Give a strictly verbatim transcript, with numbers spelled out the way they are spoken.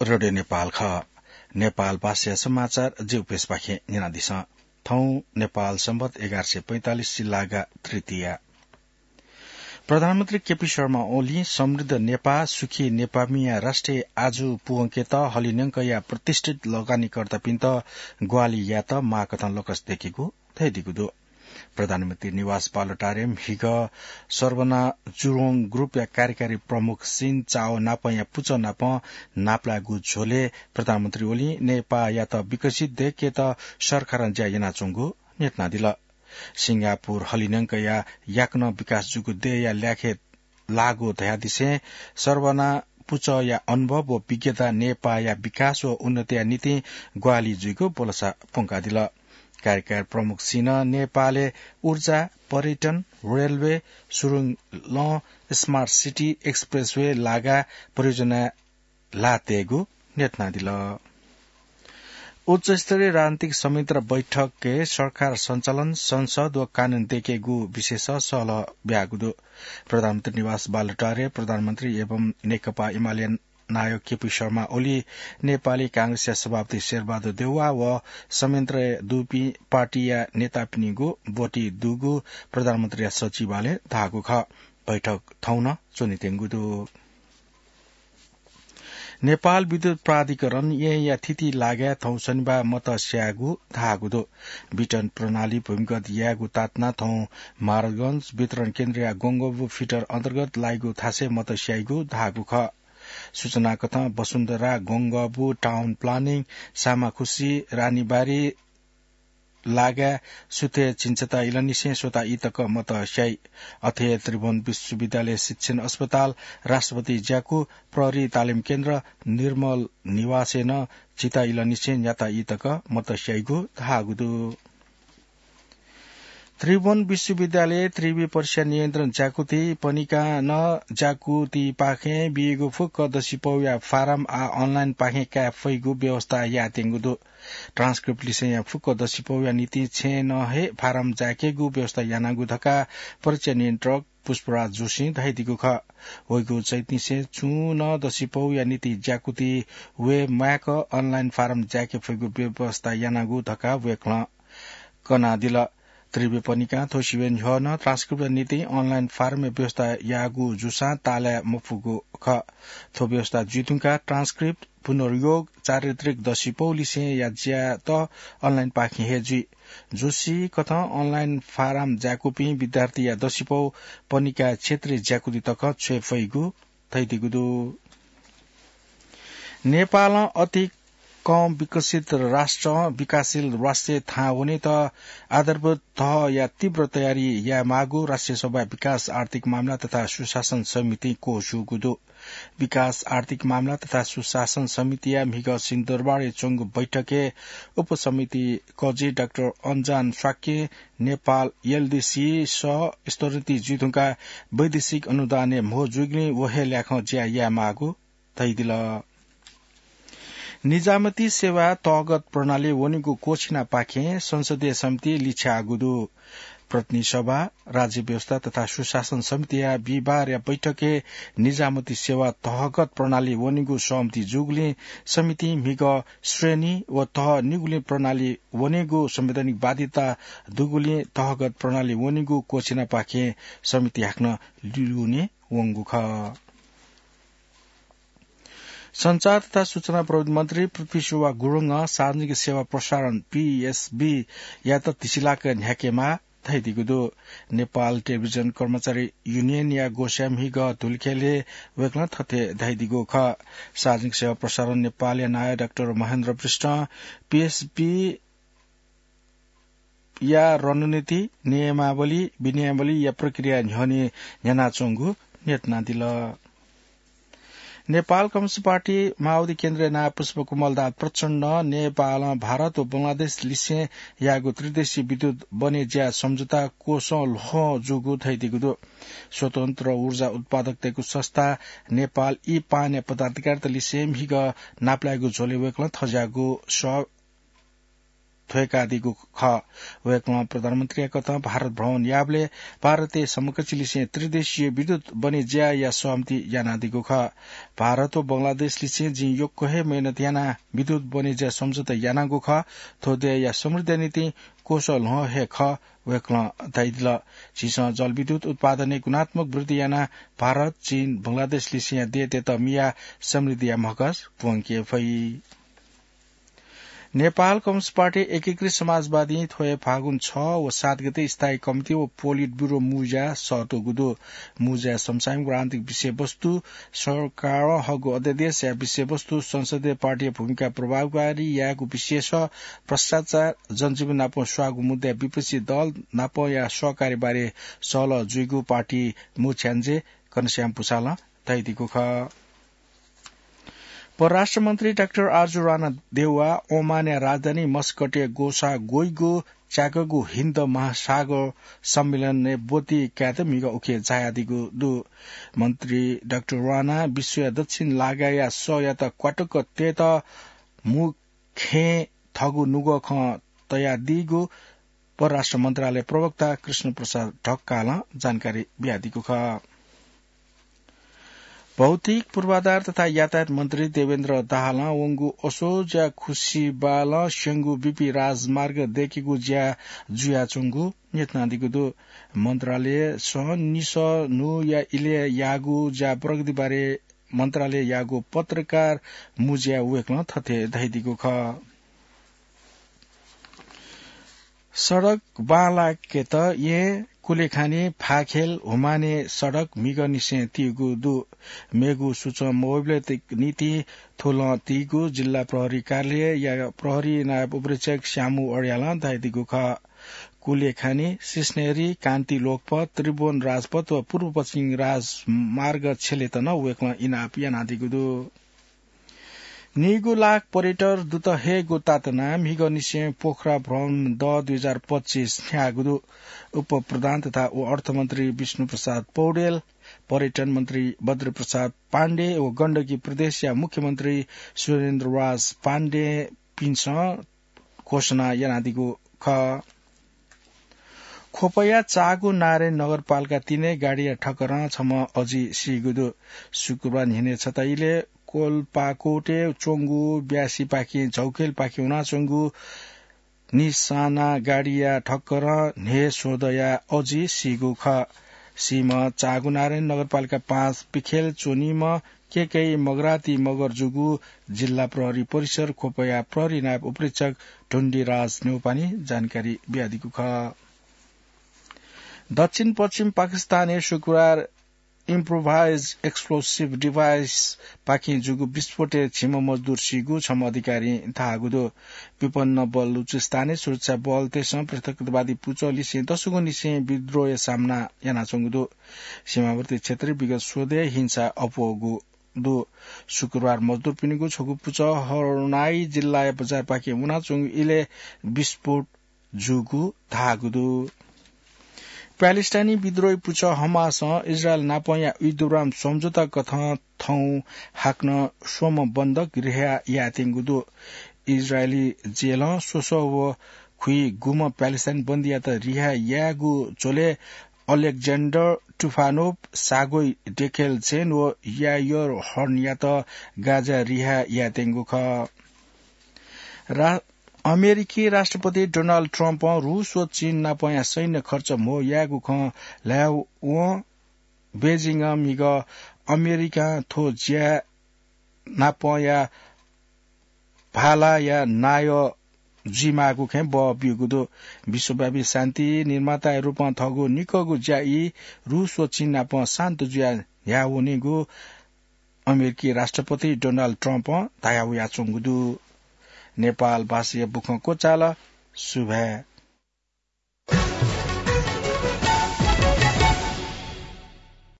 रेडियो नेपाल खः। नेपाल भाषा समाचार जिगु पेजपाखें न्यनादिसँ। थौं नेपाल संवत एघार सय पैंतालिस सिल्लागा तृतीया। प्रधानमन्त्री केपी शर्मा ओलीं समृद्ध नेपाः, सुखी नेपाःमिया राष्ट्रिय आजु पूवंकेत हलिंन्यंकया प्रतिष्ठित लगानीकर्तापिन्त ग्वाहालि यायेत माः कथं लकस दय्केगु धयादीगु दु। प्रधानमन्त्री निवास बालुवाटारे म्हिगः सर्वना जुरोङ ग्रुपया कार्यकारी प्रमुख सिन चाओ नापंया पुचः नाप नापलायेगु झ्वलय् प्रधानमन्त्री ओलीं नेपाःयात विकसित दय्केत सरकारं ज्या यानाच्वंगु न्ह्यथनादिल। सिंगापुर हलिंन्यंकया याकनं विकास जूगु देय्या ल्याखय् लाःगु धयादिसें सर्वना पुचःया अनुभव व विज्ञता नेपाःया विकास व उन्नतिया निंतिं ग्वाहालि जुइगु भलसा प्वंकादिल। कार्यकारी प्रमुख सिनं नेपालय् ऊर्जा, पर्यटन, रेलवे, सुरुङ लं, स्मार्ट सिटी, एक्सप्रेसवे लागा परियोजना ल्हाः तयेगु न्ह्यथनादिल। उच्चस्तरीय राजनीतिक समिति बैठकय् सरकार सञ्चालन, संसद व कानून दय्केगु विषयस सहलह ब्याःगु दु। प्रधानमन्त्री निवास बालुवाटारे प्रधानमन्त्री एवं नेकपा एमाले नायक केपी शर्मा ओली, नेपाली कांग्रेसया सभापति शेरबहादुर देउवा व समितिय् दुपिं पार्टीया नेतापिनिगु ब्वति दुगु प्रधानमन्त्रीया सचिवालयं धाःगु खः। बैठक थौं नं च्वनेत्यंगु दु। नेपाल विद्युत प्राधिकरण येँया थिति लागाय् थौं शनिबाः मत स्यायेगु धाःगु दु। वितरण प्रणाली भूमिगत यायेगु तातुनाः थौं महाराजगंज वितरण केन्द्रया गंगबु फिडर अन्तर्गत लाइगु थासय् मत स्याइगु धाःगु खः। सूचना कथं वसुन्धरा, गंगबु, टाउन प्लानिङ, सामाखुसी, रानीबारी, लागाय् सुथय् झिंछता इलंनिसें स्वता ई तक मत स्याइ। अथे त्रिभुवन विश्वविद्यालय शिक्षण अस्पताल, राष्ट्रपति ज्याकू, प्रहरी तालिम केन्द्र, निर्मल निवासय् नं झिंछता इलंनिसें न्याता ई तक मत स्याइगु धाःगु दु। त्रिभुवन विश्वविद्यालय त्रिवि परीक्षा नियन्त्रण ज्याकुथि पनिकां नं ज्याकुथिपाखें बीगु फुक्क दसिपौया फारम आः अनलाइनपाखें काये फइगु व्यवस्था यायेत्यंगु दु। ट्रान्सक्रिप्ट लिसेंया फुक्क दसिपौया निंतिं छेँनं हे फारम जायेकेगु व्यवस्था यानागु धकाः परीक्षा नियन्त्रक पुष्पराज जोशीं धयादीगु खः। वइगु चैतनिसें छुं नं दसिपौया निंतिं ज्याकुथि वये म्वायेक अनलाइन फारम जायेके फइगु व्यवस्था यानागु धकाः वय्कलं कनादिल। त्रिवि पनिकां थ्व सिबें न्ह्यः नं ट्रान्सक्रिप्टया निंतिं अनलाइन फारमया व्यवस्था याःगु जूसां ताःलाये मफुगु खः। थ्व व्यवस्था जुइधुंकाः ट्रान्सक्रिप्ट, पुनर्योग, चारित्रिक दसिपौलिसेंया ज्यात अनलाइनपाखें हे जुइ। जोशी कथं अनलाइन फारम जाय्कूपिं विद्यार्थीया दसिपौ पनिकाय् क्षेत्रीय ज्याकुथि तक छ्वये फइगु धयादीगु दु। नेपालं अति कम विकसित राष्ट्रं विकासशील राष्ट्रय् थाहां वनेत आधारभूत तहया तीव्र तयारी यायेमाःगु राष्ट्रिय सभाया विकास, आर्थिक मामला तथा सुशासन समितिं क्वछूगु दु। विकास, आर्थिक मामला तथा सुशासन समितिया म्हिगः सिंहदरबारय् च्वंगु बैठकय् उपसमिति कजि डाक्टर अन्जान शाक्यं नेपाल एलडिसी सह स्तरोन्नति जुइधुंकाः वैदेशिक अनुदानय् म्हो जूगुलिं व हे ल्याखं ज्या यायेमाःगु धयादिल। निजामती सेवा तहगत प्रणाली वनेगु क्वःछिनापाखें संसदीय समितिं लिछ्याःगु दु। प्रतिनिधि सभा, राज्य व्यवस्था तथा सुशासन समितिया बिहिबारया बैठकय् निजामती सेवा तहगत प्रणाली वनेगु सहमति जूगुलिं समितिं म्हिगः श्रेणी व तह निगुलिं प्रणाली वनेगु संवैधानिक बाध्यता दुगुलिं तहगत प्रणाली वनेगु क्वःछिनापाखें समिति हाकनं लिउने वंगु खः। सञ्चार तथा सूचना प्रविधि मन्त्री पृथ्वी शोभा गुरुङं सार्वजनिक सेवा प्रसारण, पीएसबी, यात धिसिलाक न्ह्याकेमाः धयादीगु दु। नेपाल टेलिभिजन कर्मचारी युनियनया ग्वसाः म्हिगः धुलिखेलय् वय्कलं थथे धयादीगु खः। सार्वजनिक सेवा प्रसारण नेपालया नायः डाक्टर महेन्द्र विष्टं पीएसबी या रणनीति, नियमावली, विनियमावलीया प्रक्रिया न्ह्यःने न्ह्यानाच्वंगु न्ह्यथनादिल। नेपाल कम्युनिस्ट पार्टी माओवादी केन्द्रया नायः पुष्पकमल दाहाल प्रचण्डं नेपालं भारत व बंगलादेश लिसें याःगु त्रिदेशीय विद्युत बने ज्या सम्झौता क्वसं ल्वहं जूगु धयादीगु दु। स्वतन्त्र ऊर्जा उत्पादकतय्गु संस्था नेपाल ई पानया पदाधिकारीत लिसें म्हिगः नापलायेगु झ्वलय् वय्कलं थज्याःगु सः थ्वय्कादीगु खः। वय्कलं प्रधानमन्त्रीया कथं भारत भ्रमण याःबलय् भारतय् समकक्षलिसें त्रिदेशीय विद्युत बनेज्याया सहमति यानादीगु खः। भारत व बंगलादेशलिसें जिं यक्व हे मेहनत यानाः विद्युत बनेज्या सम्झौता यानागु खः। थ्व देय्या समृद्धिया निंतिं क्वसः ल्ह्वः हे खः। वय्कलं धयादिल, झीसं जलविद्युत उत्पादनय् गुणात्मक वृद्धि यानाः भारत, चीन, बंगलादेशलिसेंया देय्‌तय्त मियाः समृद्धिया म्हगस प्वंके फइ। नेपाल कम्युनिस्ट पार्टी एकीकृत समाजवादीं थ्व हे फागुन छ व सात गते स्थायी कमिटी व पोलिट ब्युरो मुंज्या सःतूगु दु। मुंज्याय् समसामयिक व आन्तरिक विषयवस्तु, सरकारं हःगु अध्यादेशया विषयवस्तु, संसदीय पार्टीया भूमिका प्रभावकारी यायेगु विषय सह, भ्रष्टाचार, जनजीवन नाप स्वाःगु मुद्दाय् विपक्षी दल नापया सहकार्य बारे सहलह जुइगु पार्टी मुख्याञ्जे घनश्याम भुसालं धयादीगु खः। परराष्ट्र मन्त्री डाक्टर आरजु राणा देउवा ओमानया राजधानी मस्कटय् ग्वसाः ग्वइगु च्याकगु हिन्द महासागर सम्मेलनय् ब्वति कायेत म्हिगः उखे झायादीगु दु। मन्त्री डाक्टर राणा विश्वया दक्षिण लागाया सःयात क्वातुक तयेत मू खँय् थःगु नुगः खँ तयादीगु परराष्ट्र मन्त्रालय प्रवक्ता कृष्ण प्रसाद ढकालं जानकारी बियादीगु खः। भौतिक पूर्वाधार तथा यातायात मन्त्री देवेन्द्र दाहालं वंगु असोजया खुसिबालं स्यंगु बीपी राजमार्ग दयेकेगु ज्या जुयाच्वंगु न्ह्यथनादीगु दु। मन्त्रालयसं निसः न्हूया इलय् याःगु ज्या प्रगति बारे मन्त्रालयय् याःगु पत्रकार मुँज्याय् वय्कलं थथे धयादीगु खः। सडक बांलाकेत येँ कुलेखानी फाखेल हुमाने सडक म्हिगःनिसें तीगु दु। मेगु सूचं मवय्बलय् निंतिं थ्व लँ तीगु जिल्ला प्रहरी कार्यालयया प्रहरी नायब उपरीक्षक श्यामु अर्यालं धयादीगु खः। कुलेखानी, सिस्नेरी, कान्ति लोकपथ, त्रिभुवन राजपथ व पूर्व पश्चिम राजमार्ग छ्यलेत नं वय्कलं इनाप यानादीगु दु। नीगु लाख पर्यटक दुत हयेगु तातुनाः म्हिगःनिसें पोखरा भ्रमण दः दुई हजार पच्चिस न्ह्याःगु दु। उपप्रधान तथा व अर्थमन्त्री विष्णुप्रसाद पौडेल, पर्यटन मन्त्री बद्रप्रसाद पाण्डे व गण्डकी प्रदेशया मुख्यमन्त्री सुरेन्द्रराज पाण्डेपिन्सं घोषणा यानादीगु खः। ख्वपया चाःगु नारायणी नगरपालिका तीनय् गाडीया ठक्करं छम्ह अजि सीगु दु। शुक्रबार न्हिनय् छता इलय् कोल्पाकोटय् च्वंगु ब्यासीपाखें झौखेलपाखे वनाच्वंगु निसाना गाडीया ठक्करं न्हय् स्वदया अजि सीगु खः। सीम्ह चाःगु नारायणी नगरपालिका पाँच पिखेल च्वनीम्ह केकेई मगराती मगर जूगु जिल्ला प्रहरी परिसर ख्वपया प्रहरी नायब उपरीक्षक ढुण्डीराज न्यौपानी जानकारी बियादीगु खः। दक्षिण पश्चिम पाकिस्तानय् शुक्रबार improvised explosive device पाखें जूगु विस्फोटय् झिम्ह मजदुर सीगु छम्ह अधिकारीं धाःगु दु। विपन्न बलुचिस्तानय् सुरक्षा बलतय्सं पृथकवादी पुचःलिसें दसगुनिसें विद्रोहया सामना यानाच्वंगु दु। सीमावर्ती क्षेत्रय् विगत स्वदँय् हिंसा अप्वःगु दु। शुक्रबार मजदुरपिनिगु छगू पुचः हरनाई जिल्लाया बजारपाखें वनाच्वंगु इलय् विस्फोट जूगु धाःगु दु। प्यालेस्टाइनी विद्रोही पुचः हमासं इजरायल नापंया युद्धविराम सम्झौता कथं थौं हाकनं स्वम्ह बन्धक रिहा यायेत्यंगु दु। इजरायली जेलं स्वसः व खुइगुम्ह प्यालेस्टाइन बन्दीयात रिहा यायेगु झ्वलय् अलेक्जेन्डर टुफानोभ, सागोई डेखेलचेन व यायर हर्नयात गाजाय् रिहा यायेत्यंगु खः। रा-, अमेरिकी राष्ट्रपति डोनाल्ड ट्रम्पं रूस व चीन नापंया सैन्य खर्च म्हो यायेगु खँ ल्हायेवं बेजिङं म्हिगः अमेरिकां थ्व ज्या नापंया भालाया नायः जुइमाःगु खँय् बः ब्यूगु दु। विश्वव्यापी शान्ति निर्माताया रूपं थःगु निकःगु ज्या ई रूस व चीन नाप शान्त जुयाः न्ह्यावनीगु अमेरिकी राष्ट्रपति डोनाल्ड ट्रम्पं धयावयाच्वंगु दु। नेपाल भाषाया बुखँ क्वचाल। सुभाय्।